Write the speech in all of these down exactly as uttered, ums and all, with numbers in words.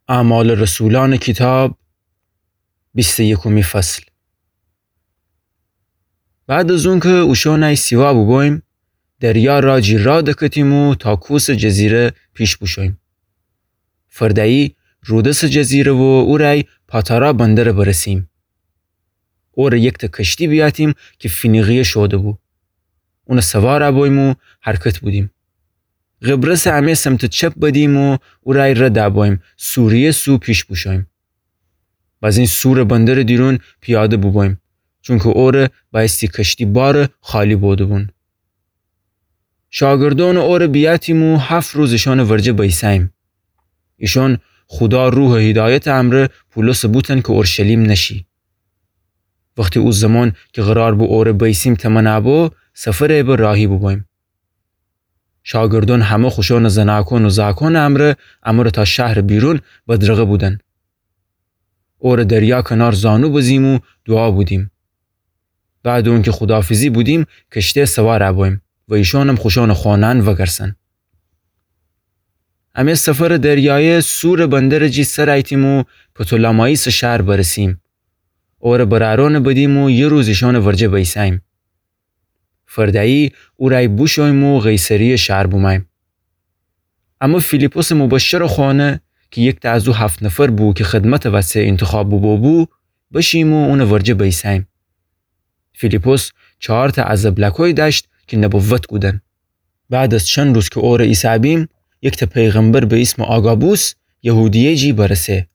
اعمال رسولان کیتاب، بیست و یکمی فصل. بعد از اونکه اوشانه سیوا بوبویم، دریا را جی را دکتیم و تا کوس جزیره پیش بوشویم. فرده‌یی رودس جزیره و اورای پاتارا بندره برسیم. اوره یکته کشتی بیاتیم کی فینیقیه شوده بو. اونه سوار بویم و حرکت بودیم. قبرسه امه سمت چپ بدیم و اورای رد بویم، سوریه سو پیش بوشویم. بازین سور بندر دیرون پیاده بوبویم، چونکه اوره بایستی کشتی باره خالی بوده‌بون. شاگردون اوره بیاتیم و هفت روز ایشان ورجه بیسه‌ییم. ایشان خودا روح هدایت امره پولس بوتن که اورشلیم نشی. وختی او زمان که قرار بو اوره بیسیم تمنا بو، سفره به راهی بوبویم. شاگردون همه خوشان زناکون و زاکون امره، امره تا شهر بیرون بدرقه بودن. اوره دریا کنار زانو بزیم و دوعا بودیم. بعد اونکه خداحافظی بودیم، کشته سوار بویم و ایشانم خوشان خونه‌ن وگرسن. امه سفر دریایه سور بندر جی سر ایتیم و پتولمایس شهر برسیم. اوره برارون بدیم و یه روز ایشان ورجه بیسه‌ییم. فرده‌یی اورای بوشویم و قیصریه شهر بومه‌ییم. اما فیلیپس مبشر خونه که یکته از او هفت نفر بو که خدمت وسه انتخاب بوبو بو، بشیم و اونه ورجه بیسه‌ییم. فیلیپس چهارته عزبلکوی داشت که نبوت کودن. بعد از چند روز که اوره ایسه‌بیم، یکته پیغمبر به اسم آگابوس یهودیه جی برسه.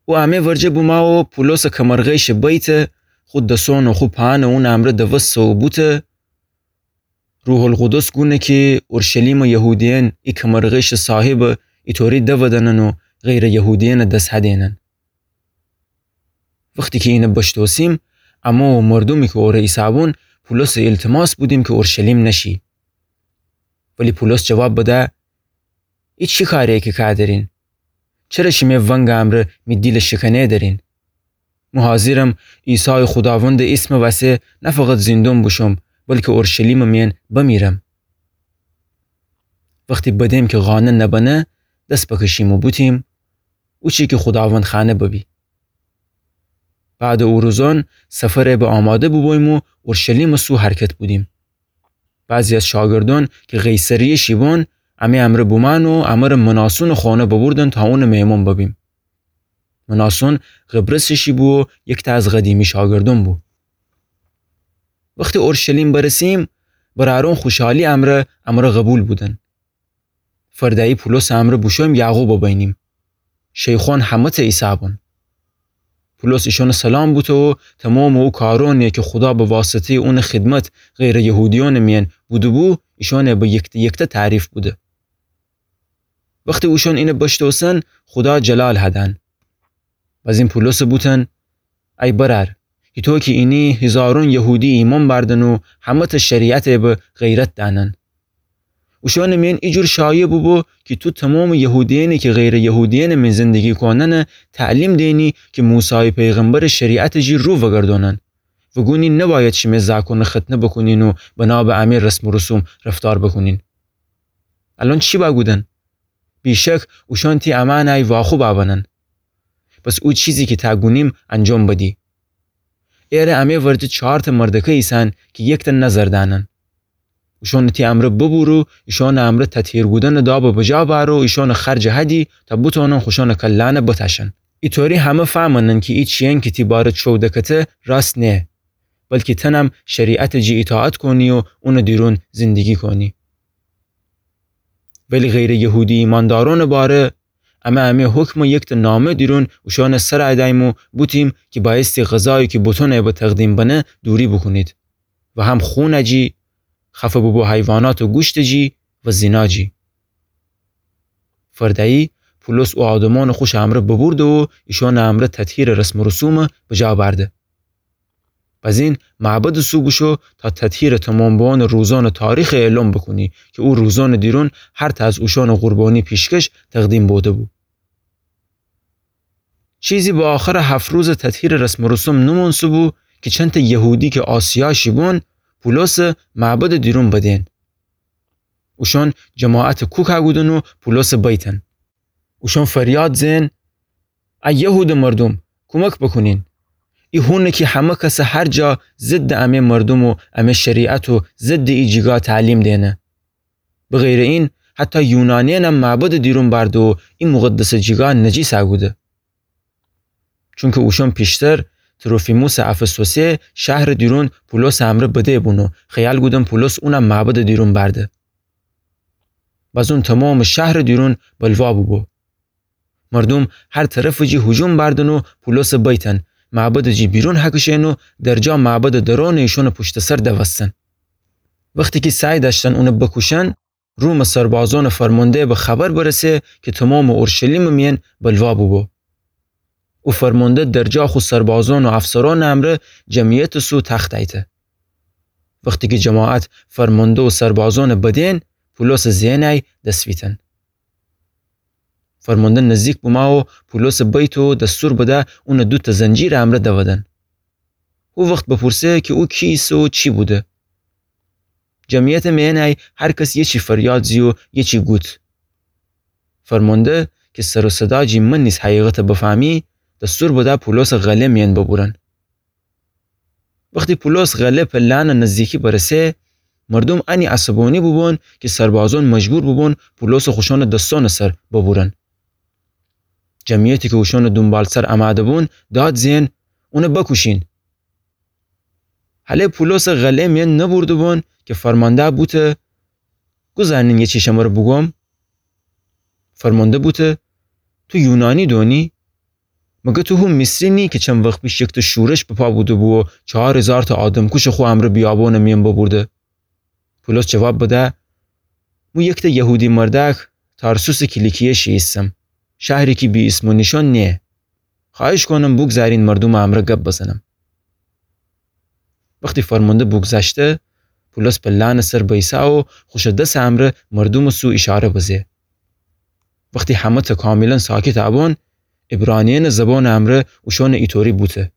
او امه ورجه بومه و پولس کمرغیش بیته، خو دسون و خو پاهن اون امره دوسته و بوته، روح القدس گونه که اورشلیم یهودیان ای کمرغیش صاحب ایطوری دودنن و غیر یهودیان دس هدینن. وختی که اینه بشتوسیم، امه و مردومی که اوره ایسه‌بون پولس التماس بودیم که اورشلیم نشی. ولی پولس جواب بده، ای چی کاریه که کادرین؟ چره شیمه ونگ امره می دیل شکنه درین؟ مو حاضرم عیسی خداوند اسم وسه نه فقط زندون بوشم، بلکه اورشلیم مین بمیرم. وختی بدیم که قانع نبنه، دس بکشیم و بوتیم، او چی که خداوند خوأنه ببی. بعد او روزان سفره به آماده بوبویم و اورشلیم سو حرکت بودیم. بعضی از شاگردان که قیصریه شیبون، امه امره بومأن و امره مناسون خونه ببردن تا اون مهمون ببیم. مناسون قبرس شیبو و یکته از قدیمی شاگردون بو. وختی اورشلیم برسیم، برارون خوشحالی امره امره قبول بودن. فرده‌یی پولس امره بوشویم یعقوب بینیم. شیخون همه‌ته ایسه‌بون. پولس ایشون سلام بوته و تمام او کارونی که خدا به واسطه‌ی اون خدمت غیر یهودیون مین بوده‌بو، ایشون به یکته یکته تعریف بوده. وختی اوشون اینه بشتوسن، خدا جلال هدن. بزین پولس بوتن، ای برار، هیتو که اینی هیزارون یهودی ایمون بردن و همه‌ته شریعت به غیرت دأنن. اوشون مین ایجور شایع بوبو که تو تمام یهودیانی که غیر یهودیان مین زندگی کونن تعلیم دینی که موسی پیغمبر شریعت جی رو وگردونن و گونی نباید شیمه زاکون ختنه بکونین و بنا به امه رسم و رسوم رفتار بکونین. الان چی بأ گودن؟ بی‌شک اوشون تی امأنی واخوب بنن. پس او چیزی که تا گونیم انجام بدی. ایره امه ورجه چارته مردکه ایسن که یکته نظر دأنن. اوشون تی امره ببور و ایشون امره تطهیر گودن داب بجا بأر و ایشون خرج هدی تا بتونن خوشون کلأنه بتأشن. ایطوری همه فهمنن که ای چیین که تی باره چو دکته راست نیه، بلکه تنم شریعت جی اطاعت کونی و اون دیرون زندگی کونی. ولی غیر یهودی ایماندارون باره، امه امه حکم یکته نامه دیرون اوشون سر دأیم و بوتیم که بایستی غذایی که بتونه به تقدیم بنه دوری بکونید و هم خون جی، خفه ببو حیوانات و گوشت جی و زنا جی. فرده‌یی پولس او آدمون خوش امره ببرده و ایشون امره تطهیر رسم و رسوم بجا بأرده. بزین معبد سو بوشو تا تطهیر تمام بوان روزان تاریخ اعلام بکونی که او روزان دیرون هرته از اوشون قربانی پیشکش تقدیم بوده بو. چیزی به آخر هفت روز تطهیر رسم و رسوم نمونسه بو که چنته یهودی که آسیا شیبون پولس معبد دیرون بدین. اوشون جماعت کوکا گودن و پولس بیتن. اوشون فریاد زئن: ای یهوده مردوم، کومک بوکونین! ای هونه کی همه کسٚ هر جا ضدٚ امه مردوم و امه شریعت و ضدٚ ای جیگا تعلیم دئنه. بغیرٚ این، حتی یونانیأنم معبدٚ دیرون بأرده و ای مقدسٚ جیگا نجیس کوده. چونکی اوشون پیشتر تروفیموسٚ افسوسی شهرٚ دیرون پولوسٚ امرأ بدیبون و خیال کودن پولوس اونم معبدٚ دیرون بأرده. بزون تومامٚ شهرٚ دیرون بلوا بوبو. مردوم هر طرفٚ جی هجوم بأردن و پولوسٚ بیتن، معبدٚ جی بیرون هکشئن و درجا معبدٚ درونٚ ایشونٚ پوشتٚ سر دوستن. وختی کی سعی دأشتن اونٚ بکوشن، رومٚ سربازونٚ فرمانده به خبر برسه کی تومامٚ اورشلیمٚ میأن بلوا بوبو. او فرمانده درجا خو سربازون و افسرونٚ امرأ جمعیتٚ سو تخت ایته. وختی کی جماعت فرمانده و سربازونٚ بدئن، پولوسٚ زئنی دس ویتن. فرمانده نزدیک بومو و پولوسٚ بیت و دستور بده اونٚ دوتأ زنجیرٚ امرأ دودن. هو وخت بپورسه کی او کی ایسه و چی بوده. جمعیتٚ میأنی هر کس یه چی فریاد زی و یه چی گود. فرمانده کی سر و صدا جی من نیز حقیقت بفهمی، دستور بده پولوسٚ غله میأن ببورن. وختی پولوس غله پلانٚ نزدیکی برسه، مردوم انی عصبانی بوبون کی سربازون مجبور بوبون پولوسٚ خوشونٚ دستونٚ سر ببورن. جمعیتی کی اوشونٚ دونبالسر امده بون داد زئن: اونٚ بکوشین! هله پولوسٚ غله میأن نبورده‌بون کی فرمانده بوته: گوزارنین یه چی شمره بوگوم. فرمانده بوته: تو یونانی دونی؟ مگه تو هو مصری نی کی چند وخت پیش یکتأ شورش بپا بوده‌بو و چهار هیزارتأ آدمکوشٚ خو امرأ بیابونٚ میأن ببورده؟ پولوس جواب بده: مو یکتأ یهودی مردأک تارسوسٚ کیلیکیه شی ایسم، شهری کی بی اسم و نیشان نییه. خوأهش کونم بوگذارین مردومٚ امرأ گب بزنم. وختی فرمانده بوگذشته، پولوس پلانٚ سر بیسه و خوشٚ دسٚ امرأ مردومٚ سو ایشاره بزه. وختی همه‌تأ کاملا ساکت بون، عبرانیأنٚ زبانٚ امرأ اوشونٚ ایطوری بوته: